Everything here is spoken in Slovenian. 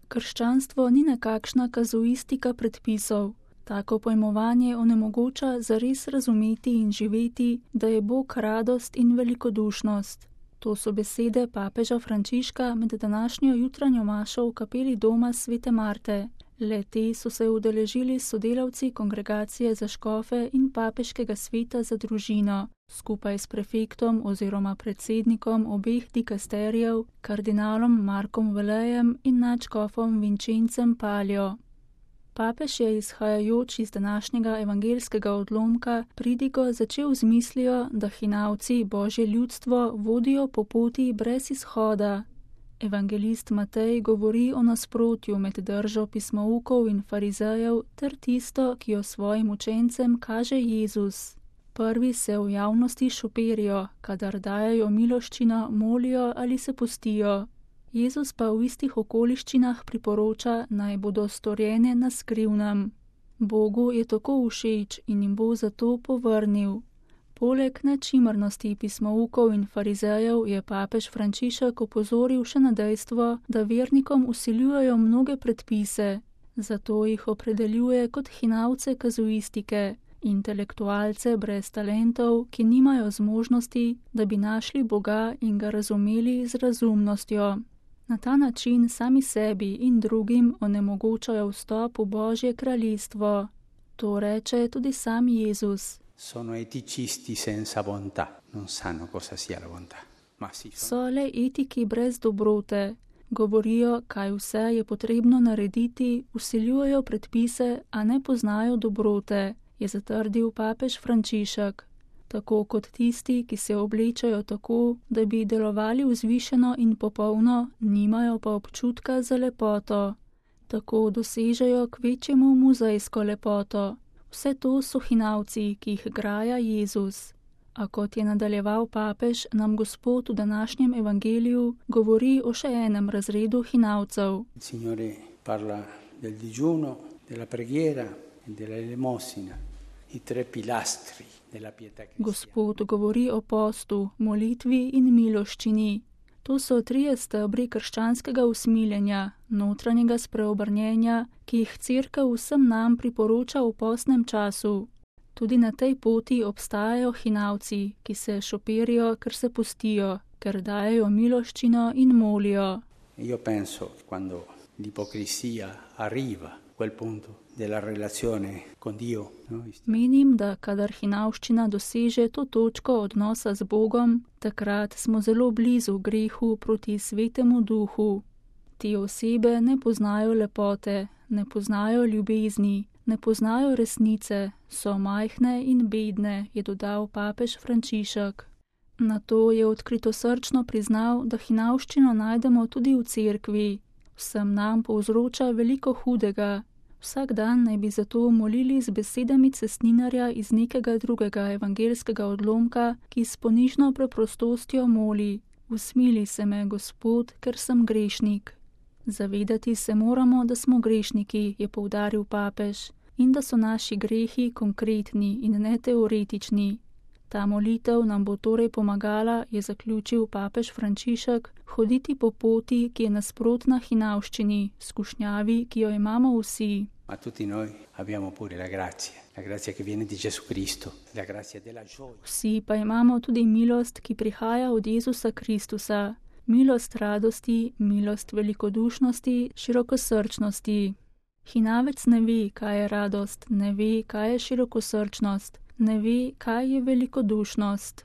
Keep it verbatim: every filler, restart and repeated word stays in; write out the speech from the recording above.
Krščanstvo ni nekakšna kazuistika predpisov. Tako pojmovanje onemogoča zares razumeti in živeti, da je Bog radost in velikodušnost. To so besede papeža Frančiška med današnjo jutranjo mašo v kapeli doma svete Marte. Le-te so se udeležili sodelavci kongregacije za škofe in papeškega sveta za družino, skupaj s prefektom oziroma predsednikom obeh dikasterijev, kardinalom Markom Velejem in nadškofom Vinčencem Paljo. Papež je, izhajajoč iz današnjega evangeljskega odlomka, pridigo začel z mislijo, da hinavci Božje ljudstvo vodijo po poti brez izhoda. Evangelist Matej govori o nasprotju med držo pismoukov in farizejev ter tisto, ki jo svojim učencem kaže Jezus. Prvi se v javnosti šoperijo, kadar dajajo miloščino, molijo ali se postijo. Jezus pa v istih okoliščinah priporoča, naj bodo storjene na skrivnem. Bogu je tako všeč in jim bo zato povrnil. Poleg nečimrnosti pismoukov in farizejev je papež Frančišek opozoril še na dejstvo, da vernikom vsiljujejo mnoge predpise, zato jih opredeljuje kot hinavce kazuistike, intelektualce brez talentov, ki nimajo zmožnosti, da bi našli Boga in ga razumeli z razumnostjo. Na ta način sami sebi in drugim onemogočajo vstop v Božje kraljestvo. To reče tudi sam Jezus. Sono eticisti senza bontà, non sanno cosa sia la bontà. Ma sì, sono... So le etiki brez dobrote. Govorijo, kaj vse je potrebno narediti, vsiljujejo predpise, a ne poznajo dobrote, je zatrdil papež Frančišek. Tako kot tisti, ki se oblečajo tako, da bi delovali vzvišeno in popolno, nimajo pa občutka za lepoto. Tako dosežejo kvečjemu muzejsko lepoto. Vse to so hinavci, ki jih graja Jezus. A kot je nadaljeval papež, nam Gospod v današnjem evangeliju govori o še enem razredu hinavcev. Signore parla del digiuno, della preghiera e della elemosina, i tre pilastri della pietà cristiana. Gospod govori o postu, molitvi in miloščini. To so trije stebri krščanskega usmiljenja, notranjega spreobrnjenja, ki jih Cerkev vsem nam priporoča v postnem času. Tudi na tej poti obstajajo hinavci, ki se šoperijo, ker se postijo, ker dajejo miloščino in molijo. Io penso quando l'ipocrisia arriva a quel punto della relazione con Dio, no? Menim, da kadar hinavščina doseže to točko odnosa z Bogom, takrat smo zelo blizu grehu proti svetemu duhu. Te osebe ne poznajo lepote, ne poznajo ljubezni, ne poznajo resnice, so majhne in bedne, je dodal papež Frančišek. Nato je odkritosrčno priznal, da hinavščino najdemo tudi v cerkvi. Vsem nam povzroča veliko hudega. Vsak dan naj bi zato molili z besedami cestninarja iz nekega drugega evangeljskega odlomka, ki s ponižno preprostostjo moli: Usmili se me, Gospod, ker sem grešnik. Zavedati se moramo, da smo grešniki, je poudaril papež, in da so naši grehi konkretni in ne teoretični. Ta molitev nam bo torej pomagala, je zaključil papež Frančišek, hoditi po poti, ki je nasprotna hinavščini, skušnjavi, ki jo imamo vsi. Ma tutti noi abbiamo pure la grazia, la grazia che viene di Gesù Cristo, la grazia della gioia. Vsi pa imamo tudi milost, ki prihaja od Jezusa Kristusa, milost radosti, milost velikodušnosti, širokosrčnosti. Hinavec ne ve, kaj je radost, ne ve, kaj je širokosrčnost, ne ve, kaj je velikodušnost.